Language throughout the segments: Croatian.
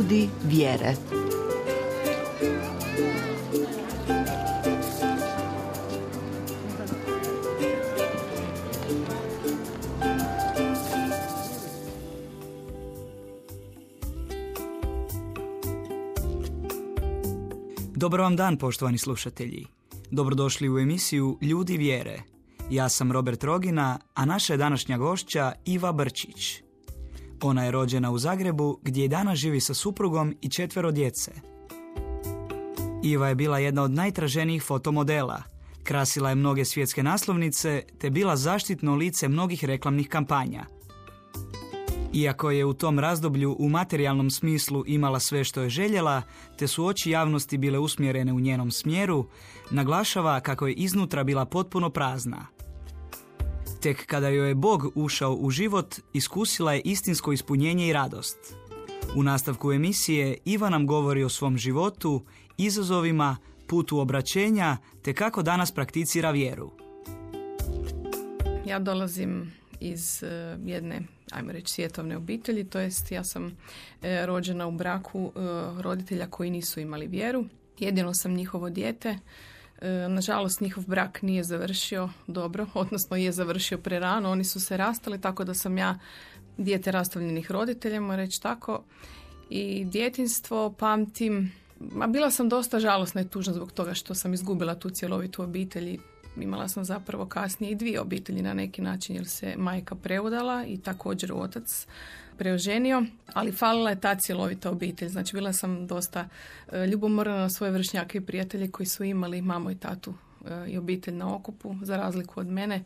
Ljudi vjere. Dobar vam dan, poštovani slušatelji. Dobrodošli u emisiju Ljudi vjere. Ja sam Robert Rogina, a naša je današnja gošća Iva Brčić. Ona je rođena u Zagrebu, gdje i danas živi sa suprugom i 4 djece. Iva je bila jedna od najtraženijih fotomodela. Krasila je mnoge svjetske naslovnice, te bila zaštitno lice mnogih reklamnih kampanja. Iako je u tom razdoblju u materijalnom smislu imala sve što je željela, te su oči javnosti bile usmjerene u njenom smjeru, naglašava kako je iznutra bila potpuno prazna. Tek kada joj je Bog ušao u život, iskusila je istinsko ispunjenje i radost. U nastavku emisije Iva nam govori o svom životu, izazovima, putu obraćenja, te kako danas prakticira vjeru. Ja dolazim iz jedne, ajmo reći, svjetovne obitelji, to jest ja sam rođena u braku roditelja koji nisu imali vjeru. Jedino sam njihovo dijete. Nažalost, njihov brak nije završio dobro, odnosno je završio prerano. Oni su se rastali, tako da sam ja dijete rastavljenih roditelja, moram reći tako. I djetinjstvo pamtim, bila sam dosta žalosna i tužna zbog toga što sam izgubila tu cjelovitu obitelj. Imala sam zapravo kasnije i 2 obitelji na neki način, jer se majka preudala i također otac preoženio, ali falila je ta cjelovita obitelj. Znači, bila sam dosta ljubomorna na svoje vršnjake i prijatelje koji su imali mamu i tatu i obitelj na okupu, za razliku od mene.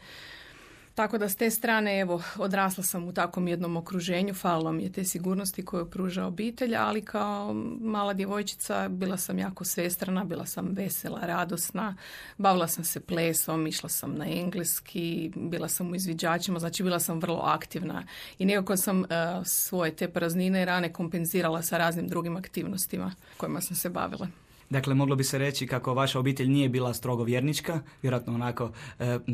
Tako da s te strane, evo, odrasla sam u takvom jednom okruženju, falilo mi je te sigurnosti koju pruža obitelj, ali kao mala djevojčica bila sam jako svestrana, bila sam vesela, radosna, bavila sam se plesom, išla sam na engleski, bila sam u izviđačima, znači bila sam vrlo aktivna i nekako sam svoje te praznine i rane kompenzirala sa raznim drugim aktivnostima kojima sam se bavila. Dakle, moglo bi se reći kako vaša obitelj nije bila strogo vjernička, vjerojatno onako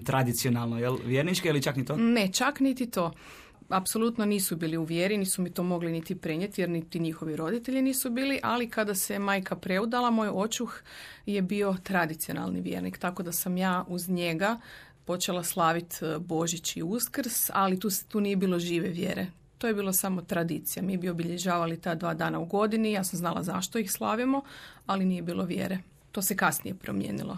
tradicionalno, jel, vjernička ili čak ni to? Ne, čak niti to. Apsolutno nisu bili u vjeri, nisu mi to mogli niti prenijeti jer niti njihovi roditelji nisu bili, ali kada se majka preudala, moj očuh je bio tradicionalni vjernik, tako da sam ja uz njega počela slaviti Božić i Uskrs, ali tu nije bilo žive vjere. To je bilo samo tradicija. Mi bi obilježavali ta 2 dana u godini, ja sam znala zašto ih slavimo, ali nije bilo vjere. To se kasnije promijenilo.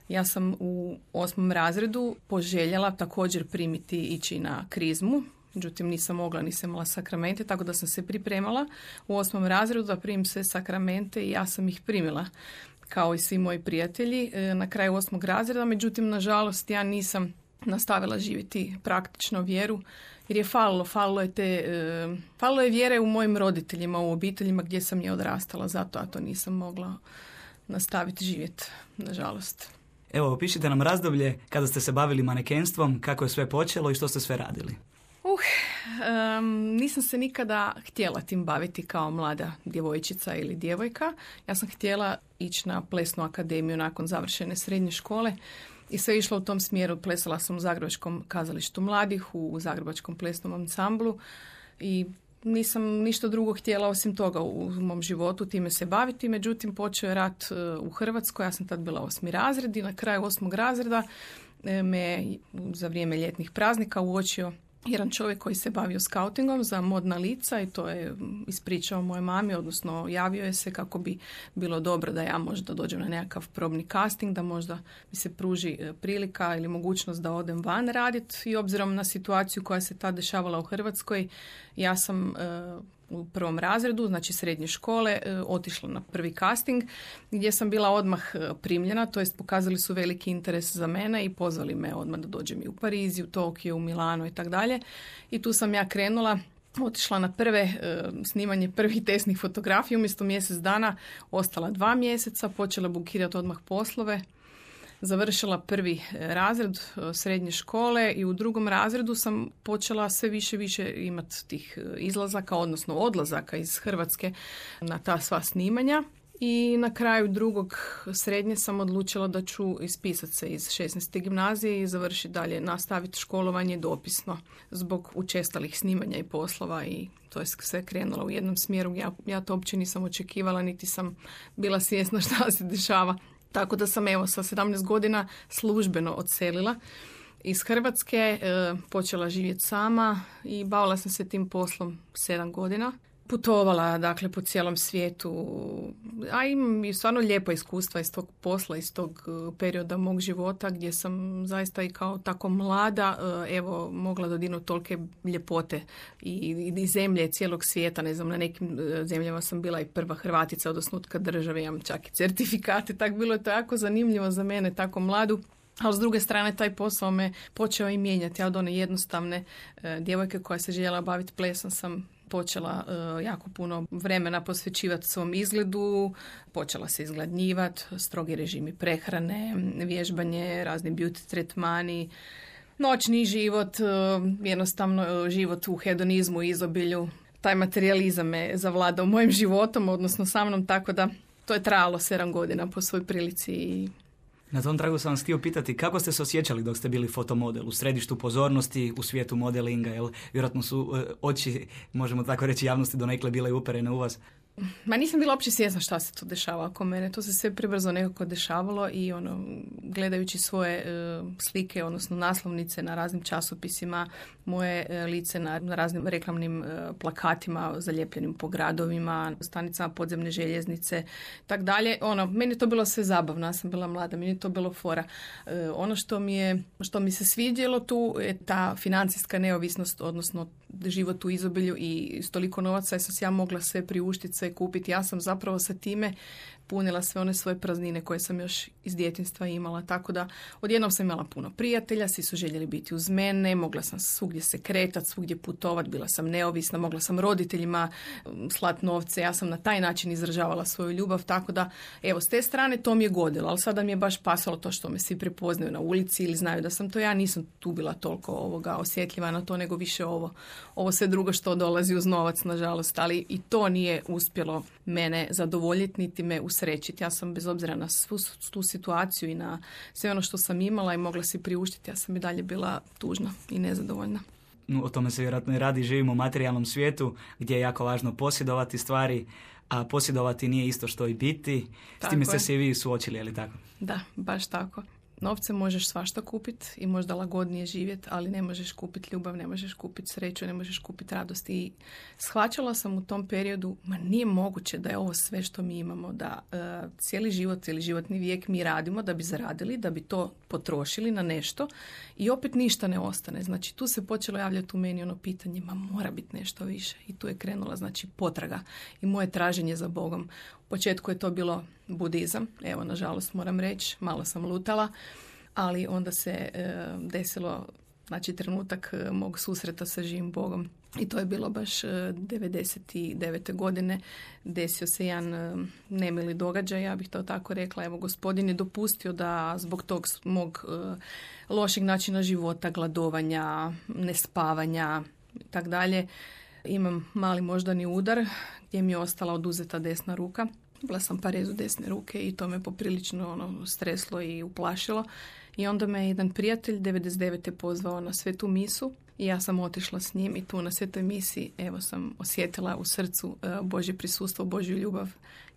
Ja sam u 8. razredu poželjela također primiti ići na krizmu, međutim nisam mogla, nisam imala sakramente, tako da sam se pripremala u 8. razredu da primim sve sakramente i ja sam ih primila kao i svi moji prijatelji na kraju 8. razreda, međutim nažalost ja nisam nastavila živjeti praktično vjeru jer je falilo je vjere u mojim roditeljima, u obiteljima gdje sam je odrastala, zato ja to nisam mogla nastaviti živjeti, nažalost. Evo, opišite nam razdoblje kada ste se bavili manekenstvom, kako je sve počelo i što ste sve radili. Nisam se nikada htjela tim baviti kao mlada djevojčica ili djevojka. Ja sam htjela ići na plesnu akademiju nakon završene srednje škole i sve išlo u tom smjeru. Plesala sam u Zagrebačkom kazalištu mladih, u Zagrebačkom plesnom ansamblu i nisam ništa drugo htjela osim toga u mom životu time se baviti. Međutim, počeo je rat u Hrvatskoj, ja sam tad bila 8. razred i na kraju 8. razreda me za vrijeme ljetnih praznika uočio jedan čovjek koji se bavio skautingom za modna lica i to je ispričao moje mami, odnosno javio je se kako bi bilo dobro da ja možda dođem na nekakav probni casting, da možda mi se pruži prilika ili mogućnost da odem van raditi i obzirom na situaciju koja se tad dešavala u Hrvatskoj, ja sam u 1. razredu, znači srednje škole, otišla na prvi casting gdje sam bila odmah primljena, to jest pokazali su veliki interes za mene i pozvali me odmah da dođem i u Pariz, u Tokio, u Milano i tako dalje. I tu sam ja krenula, otišla na prve snimanje prvih testnih fotografija, umjesto mjesec dana ostala 2 mjeseca, počela bukirati odmah poslove. Završila 1. razred srednje škole i u 2. razredu sam počela sve više imati tih izlazaka, odnosno odlazaka iz Hrvatske na ta sva snimanja. I na kraju drugog srednje sam odlučila da ću ispisati se iz 16. gimnazije i završiti dalje, nastaviti školovanje dopisno zbog učestalih snimanja i poslova i to je sve krenulo u jednom smjeru. Ja to uopće nisam očekivala, niti sam bila svjesna šta se dešava. Tako da sam sa 17 godina službeno odselila iz Hrvatske, počela živjeti sama i bavila sam se tim poslom 7 godina. Putovala, dakle, po cijelom svijetu, a imam i stvarno lijepa iskustva iz tog posla, iz tog perioda mog života gdje sam zaista i kao tako mlada, mogla dodirnuti tolike ljepote i zemlje cijelog svijeta. Ne znam, na nekim zemljama sam bila i prva Hrvatica od osnutka države, imam čak i certifikate, tako bilo je to jako zanimljivo za mene, tako mladu. Ali s druge strane taj posao me počeo i mijenjati. Ja od one jednostavne djevojke koja se željela baviti plesom sam počela jako puno vremena posvećivati svom izgledu, počela se izgladnjivati, strogi režimi prehrane, vježbanje, razni beauty tretmani, noćni život, jednostavno život u hedonizmu i izobilju. Taj materijalizam me zavladao mojim životom, odnosno sa mnom, tako da to je trajalo 7 godina po svoj prilici i na tom tragu sam vas htio pitati kako ste se osjećali dok ste bili fotomodel u središtu pozornosti, u svijetu modelinga, jer vjerojatno su oči, možemo tako reći, javnosti donekle bile uperene u vas. Ma nisam bila uopće svjesna šta se tu dešava oko mene. To se sve prebrzo nekako dešavalo i gledajući svoje slike, odnosno naslovnice na raznim časopisima, moje lice na raznim reklamnim plakatima zaljepljenim po gradovima, stanicama podzemne željeznice, tak dalje. Meni je to bilo sve zabavno, ja sam bila mlada, meni je to bilo fora. Ono što mi se sviđalo tu je ta financijska neovisnost, odnosno život u izobilju i s toliko novaca sam se ja mogla sve priuštiti, sve kupiti. Ja sam zapravo sa time punila sve one svoje praznine koje sam još iz djetinjstva imala. Tako da odjednom sam imala puno prijatelja, svi su željeli biti uz mene, mogla sam svugdje se kretati, svugdje putovati, bila sam neovisna, mogla sam roditeljima slati novce, ja sam na taj način izražavala svoju ljubav, tako da s te strane to mi je godilo, ali sada mi je baš pasalo to što me svi prepoznaju na ulici ili znaju da sam to ja, nisam tu bila toliko osjetljiva na to, nego više ovo sve drugo što dolazi uz novac, nažalost, ali i to nije uspjelo mene zadovoljiti, niti me usrećiti. Ja sam bez obzira na svu tu situaciju i na sve ono što sam imala i mogla si priuštiti, ja sam i dalje bila tužna i nezadovoljna. O tome se vjerojatno i radi, živimo u materijalnom svijetu gdje je jako važno posjedovati stvari, a posjedovati nije isto što i biti. S time ste se i vi suočili, je li tako? Da, baš tako. Novce možeš svašta kupiti i možda lagodnije živjeti, ali ne možeš kupiti ljubav, ne možeš kupiti sreću, ne možeš kupiti radost. I shvaćala sam u tom periodu, nije moguće da je ovo sve što mi imamo, da cijeli životni vijek mi radimo da bi zaradili, da bi to potrošili na nešto i opet ništa ne ostane. Znači tu se počelo javljati u meni pitanje, mora biti nešto više. I tu je krenula potraga i moje traženje za Bogom. U početku je to bilo budizam, nažalost moram reći, malo sam lutala, ali onda se desilo trenutak mog susreta sa živim Bogom. I to je bilo baš 99. godine. Desio se jedan nemili događaj, ja bih to tako rekla. Gospodin je dopustio da zbog tog mog lošeg načina života, gladovanja, nespavanja i tak dalje, imam mali moždani udar gdje mi je ostala oduzeta desna ruka. Bila sam parezu desne ruke i to me poprilično streslo i uplašilo. I onda me jedan prijatelj 99. pozvao na svetu misu i ja sam otišla s njim i tu na svetoj misi sam osjetila u srcu Božje prisustvo, Božju ljubav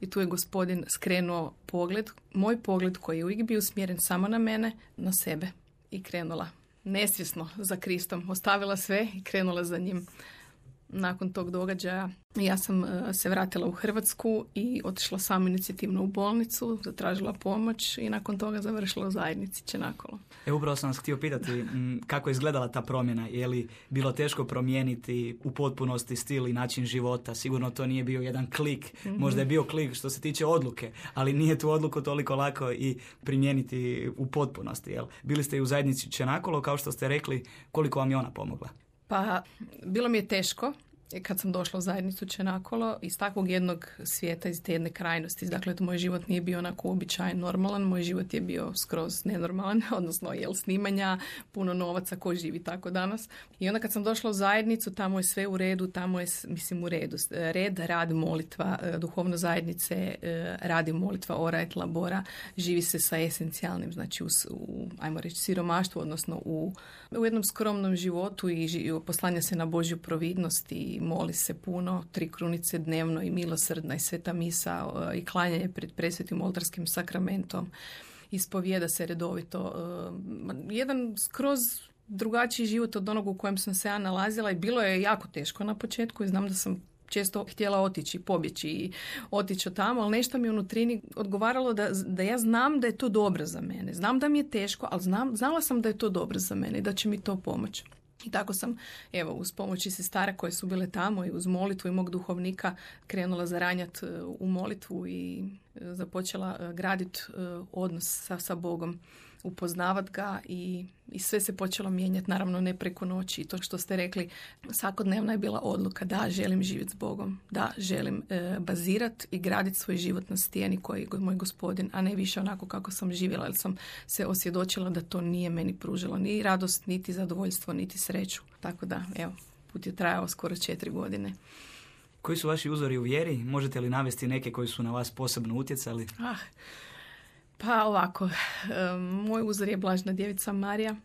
i tu je Gospodin skrenuo pogled, moj pogled koji je uvijek bio usmjeren samo na mene, na sebe i krenula nesvjesno za Kristom. Ostavila sve i krenula za njim. Nakon tog događaja ja sam se vratila u Hrvatsku i otišla samoinicijativno u bolnicu, zatražila pomoć i nakon toga završila u zajednici Čenakolo. Upravo sam vas htio pitati kako je izgledala ta promjena. Je li bilo teško promijeniti u potpunosti stil i način života? Sigurno to nije bio jedan klik. Možda je bio klik što se tiče odluke, ali nije tu odluku toliko lako i primijeniti u potpunosti. Jel? Bili ste i u zajednici Čenakolo, kao što ste rekli, koliko vam je ona pomogla? Pa, bilo mi je teško kad sam došla u zajednicu Čenakolo, iz takvog jednog svijeta, iz te jedne krajnosti, dakle, moj život nije bio onako uobičajen, normalan, moj život je bio skroz nenormalan, odnosno snimanja, puno novaca, ko živi tako danas. I onda kad sam došla u zajednicu, tamo je sve u redu, tamo je, mislim, u redu. Red, rad, molitva, duhovno zajednice, radi molitva, ora et labora, živi se sa esencijalnim, znači ajmo reći, siromaštvu, odnosno u jednom skromnom životu i poslanja se na Božju providnost i moli se puno, 3 krunice dnevno i milosrdna i sveta misa i klanjanje pred presvetim oltarskim sakramentom. Ispovijeda se redovito. Jedan skroz drugačiji život od onog u kojem sam se ja nalazila i bilo je jako teško na početku i znam da sam često htjela otići, pobjeći i otići od tamo, ali nešto mi unutrini odgovaralo da ja znam da je to dobro za mene. Znam da mi je teško, ali znala sam da je to dobro za mene i da će mi to pomoći. I tako sam, evo, uz pomoći sestara koje su bile tamo i uz molitvu i mog duhovnika krenula zaranjati u molitvu i započela graditi odnos sa Bogom, upoznavat ga i sve se počelo mijenjati, naravno ne preko noći. I to što ste rekli, svakodnevna je bila odluka da želim živjeti s Bogom, da želim bazirati i graditi svoj život na stijeni koji je moj Gospodin, a ne više onako kako sam živjela, jer sam se osvjedočila da to nije meni pružilo ni radost, niti zadovoljstvo, niti sreću. Tako da, evo, put je trajao skoro 4 godine. Koji su vaši uzori u vjeri? Možete li navesti neke koji su na vas posebno utjecali? Pa ovako, moj uzor je Blažena djevica Marija,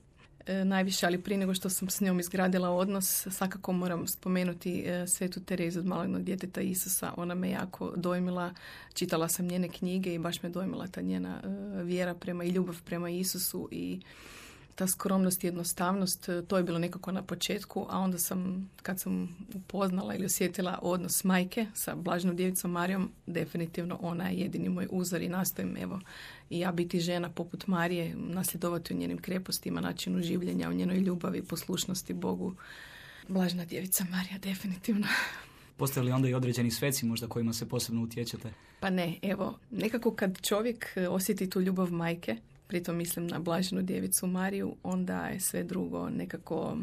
najviše, ali prije nego što sam s njom izgradila odnos, svakako moram spomenuti Svetu Terezu od malog djeteta Isusa. Ona me jako dojmila, čitala sam njene knjige i baš me dojmila ta njena vjera i ljubav prema Isusu i ta skromnost i jednostavnost, to je bilo nekako na početku, a onda kad sam upoznala ili osjetila odnos majke sa Blaženom djevicom Marijom, definitivno ona je jedini moj uzor i nastojim, evo, i ja biti žena poput Marije, nasljedovati u njenim krepostima, načinu življenja, u njenoj ljubavi, poslušnosti Bogu. Blažena djevica Marija, definitivno. Postoje li onda i određeni sveci možda kojima se posebno utječete? Pa ne, evo, nekako kad čovjek osjeti tu ljubav majke, pritom mislim na Blaženu djevicu Mariju, onda je sve drugo nekako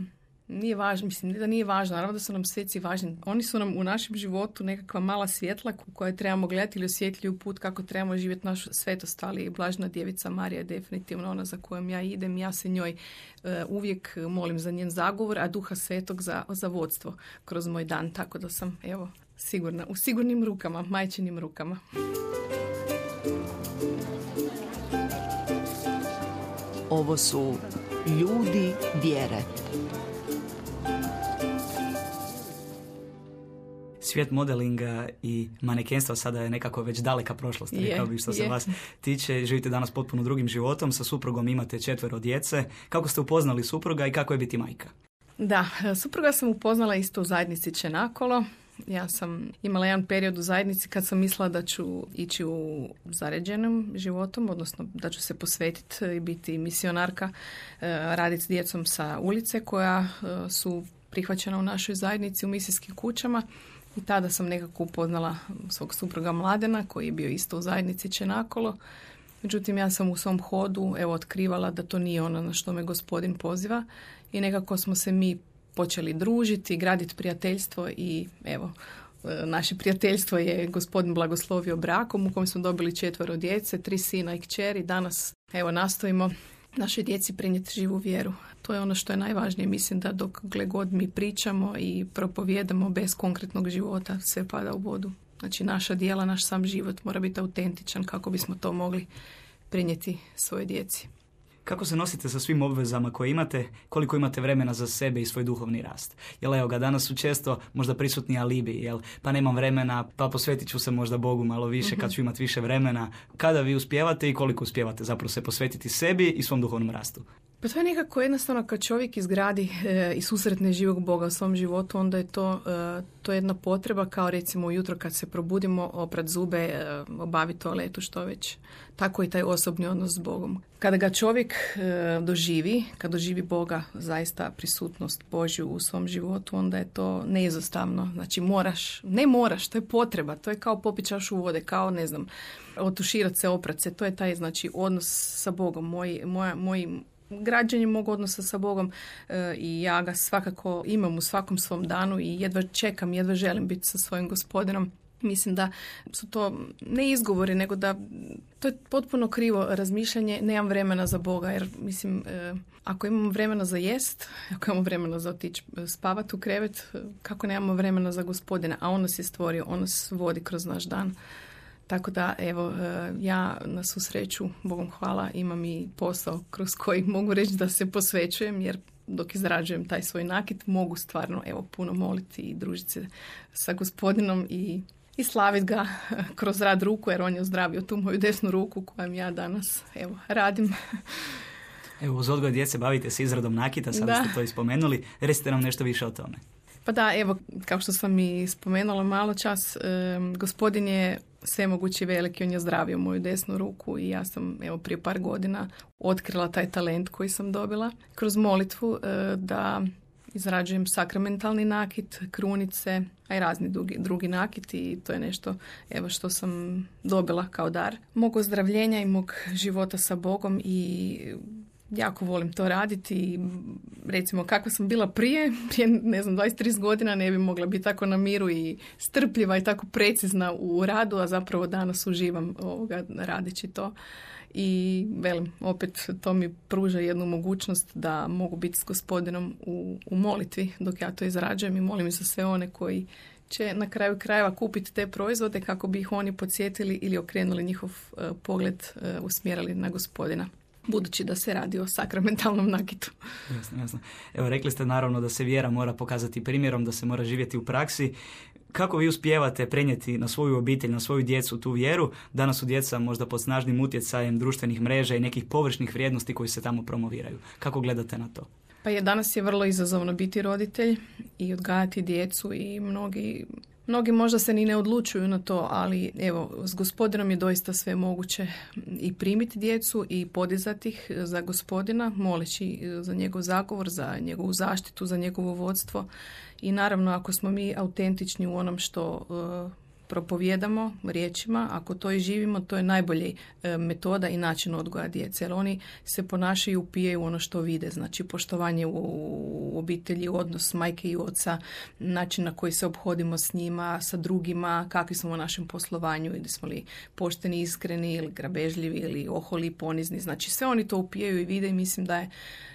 nije važno, mislim da nije važno, naravno da su nam sveci važni. Oni su nam u našem životu nekakva mala svjetla koje trebamo gledati ili osjetljuju put kako trebamo živjeti našu svetost, ali Blažena djevica Marija je definitivno ona za kojom ja idem. Ja se njoj uvijek molim za njen zagovor, a Duha Svetog za vodstvo kroz moj dan, tako da sam, evo, sigurna, u sigurnim rukama, majčinim rukama. Ovo su ljudi vjere. Svijet modelinga i manekenstva sada je nekako već daleka prošlost, rekao bih, što se vas tiče. Živite danas potpuno drugim životom, sa suprugom imate 4 djece. Kako ste upoznali supruga i kako je biti majka? Da, supruga sam upoznala isto u zajednici Čenakolo. Ja sam imala jedan period u zajednici kad sam mislila da ću ići u zaređenom životom, odnosno da ću se posvetiti i biti misionarka, raditi s djecom sa ulice koja su prihvaćena u našoj zajednici u misijskim kućama. I tada sam nekako upoznala svog supruga Mladena koji je bio isto u zajednici Čenakolo. Međutim, ja sam u svom hodu otkrivala da to nije ono na što me Gospodin poziva i nekako smo se mi počeli družiti, graditi prijateljstvo i evo, naše prijateljstvo je Gospodin blagoslovio brakom u kojem smo dobili 4 djece, 3 sina i kćeri. Danas evo nastojimo našoj djeci prenijeti živu vjeru. To je ono što je najvažnije. Mislim da dok god mi pričamo i propovijedamo bez konkretnog života, sve pada u vodu. Znači naša djela, naš sam život mora biti autentičan kako bismo to mogli prenijeti svojoj djeci. Kako se nosite sa svim obvezama koje imate, koliko imate vremena za sebe i svoj duhovni rast? Jel evo ga, danas su često možda prisutni alibi, jel pa nemam vremena, pa posvetit ću se možda Bogu malo više kad ću imati više vremena. Kada vi uspijevate i koliko uspijevate zapravo se posvetiti sebi i svom duhovnom rastu? Pa to je nekako jednostavno kad čovjek izgradi i susretne živog Boga u svom životu, onda je to jedna potreba kao recimo ujutro kad se probudimo, oprat zube, obaviti toaletu, što već. Tako i taj osobni odnos s Bogom. Kada ga čovjek doživi, kad doživi Boga, zaista prisutnost Božju u svom životu, onda je to neizostavno. Znači ne moraš, to je potreba, to je kao popiti čašu vode, kao otuširati se, oprat se, to je taj znači odnos sa Bogom. Moj građenje mog odnosa sa Bogom i ja ga svakako imam u svakom svom danu i jedva čekam, jedva želim biti sa svojim Gospodinom. Mislim da su to ne izgovori, nego da to je potpuno krivo razmišljanje, nemam vremena za Boga, jer mislim, ako imamo vremena za jest, ako imamo vremena za otići spavati u krevet, kako nemamo vremena za Gospodina, a on nas je stvorio, on nas vodi kroz naš dan. Tako da, evo, ja na svu sreću, Bogom hvala, imam i posao kroz koji mogu reći da se posvećujem, jer dok izrađujem taj svoj nakit, mogu stvarno, evo, puno moliti i družiti se sa Gospodinom i slaviti ga kroz rad ruku, jer on je ozdravio tu moju desnu ruku kojom ja danas, evo, radim. Evo, uz odgoj djece bavite se izradom nakita, sada ste to ispomenuli. Recite nam nešto više o tome. Pa da, evo, kao što sam i spomenula malo čas, Gospodin je svemogući veliki, on je ozdravio moju desnu ruku i ja sam, evo, prije par godina otkrila taj talent koji sam dobila kroz molitvu da izrađujem sakramentalni nakit, krunice, a i razni drugi nakit i to je nešto, evo, što sam dobila kao dar mog ozdravljenja i mog života sa Bogom i jako volim to raditi i recimo kako sam bila prije ne znam 20-30 godina ne bi mogla biti tako na miru i strpljiva i tako precizna u radu, a zapravo danas uživam radeći to. I velim, opet to mi pruža jednu mogućnost da mogu biti s Gospodinom u molitvi dok ja to izrađujem i molim za sve one koji će na kraju krajeva kupiti te proizvode kako bi ih oni podsjetili ili okrenuli njihov pogled, usmjerili na Gospodina. Budući da se radi o sakramentalnom nakitu. Jasno. Evo, rekli ste naravno da se vjera mora pokazati primjerom, da se mora živjeti u praksi. Kako vi uspijevate prenijeti na svoju obitelj, na svoju djecu tu vjeru? Danas su djeca možda pod snažnim utjecajem društvenih mreža i nekih površnih vrijednosti koji se tamo promoviraju. Kako gledate na to? Pa danas je vrlo izazovno biti roditelj i odgajati djecu i mnogi možda se ni ne odlučuju na to, ali evo, s Gospodinom je doista sve moguće i primiti djecu i podizati ih za Gospodina, moleći za njegov zagovor, za njegovu zaštitu, za njegovo vodstvo. I naravno, ako smo mi autentični u onom što propovijedamo riječima, ako to i živimo, to je najbolji metoda i način odgoja djece. Jer oni se ponašaju i upijaju ono što vide. Znači, poštovanje u obitelji, odnos majke i oca, način na koji se obhodimo s njima, sa drugima, kakvi smo u našem poslovanju, ili smo li pošteni, iskreni, ili grabežljivi, ili oholi, ponizni. Znači, sve oni to upijaju i vide i mislim da je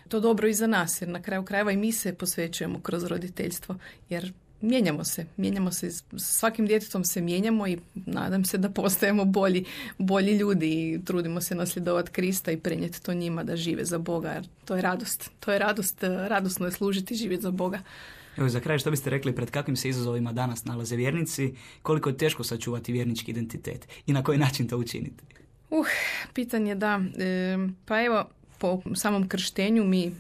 to dobro i za nas, jer na kraju krajeva i mi se posvećujemo kroz roditeljstvo, jer mijenjamo se, svakim djetetom se mijenjamo i nadam se da postajemo bolji ljudi i trudimo se nasljedovati Krista i prenijeti to njima da žive za Boga, jer to je radost, radosno je služiti i živjeti za Boga. Evo, za kraj, što biste rekli, pred kakvim se izazovima danas nalaze vjernici, koliko je teško sačuvati vjernički identitet i na koji način to učiniti? Pitanje da. Pa evo, po samom krštenju mi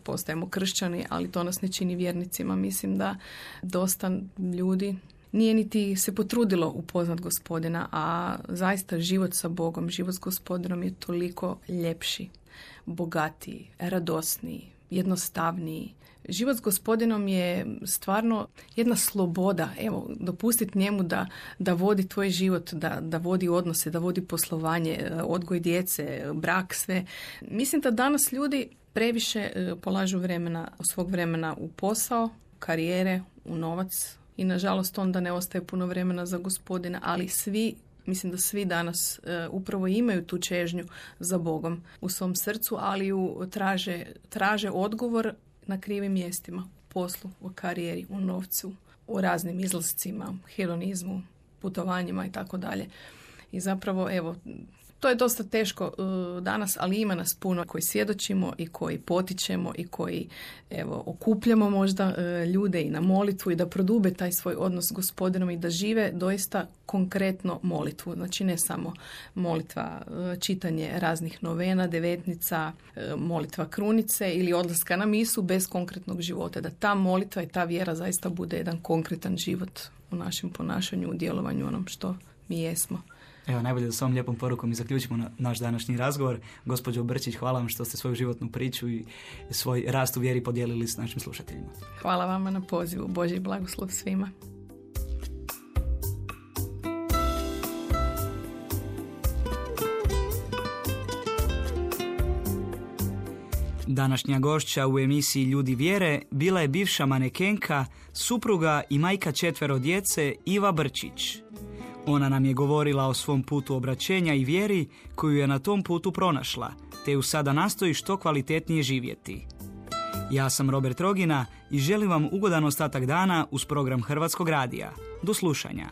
postajemo kršćani, ali to nas ne čini vjernicima. Mislim da dosta ljudi nije niti se potrudilo upoznat Gospodina, a zaista život sa Bogom, život s Gospodinom je toliko ljepši, bogatiji, radosniji, jednostavniji. Život s Gospodinom je stvarno jedna sloboda. Evo, dopustiti njemu da vodi tvoj život, da vodi odnose, da vodi poslovanje, odgoj djece, brak, sve. Mislim da danas ljudi previše polažu svog vremena u posao, karijere, u novac i nažalost onda ne ostaje puno vremena za Gospodina, ali mislim da svi danas upravo imaju tu čežnju za Bogom u svom srcu, ali traže odgovor na krivim mjestima, u poslu, u karijeri, u novcu, u raznim izlascima, hedonizmu, putovanjima i tako dalje. I zapravo, evo, to je dosta teško danas, ali ima nas puno koji svjedočimo i koji potičemo i koji, evo, okupljamo možda ljude i na molitvu i da prodube taj svoj odnos s Gospodinom i da žive doista konkretno molitvu. Znači ne samo molitva, čitanje raznih novena, devetnica, molitva krunice ili odlaska na misu bez konkretnog života. Da ta molitva i ta vjera zaista bude jedan konkretan život u našem ponašanju, u djelovanju onom što mi jesmo. Evo, najbolje da s ovom lijepom porukom i zaključimo naš današnji razgovor. Gospođo Brčić, hvala vam što ste svoju životnu priču i svoj rast u vjeri podijelili s našim slušateljima. Hvala vama na pozivu. Božji blagoslov svima. Današnja gošća u emisiji Ljudi vjere bila je bivša manekenka, supruga i majka 4 djece Iva Brčić. Ona nam je govorila o svom putu obraćenja i vjeri koju je na tom putu pronašla, te ju sada nastoji što kvalitetnije živjeti. Ja sam Robert Rogina i želim vam ugodan ostatak dana uz program Hrvatskog radija. Do slušanja.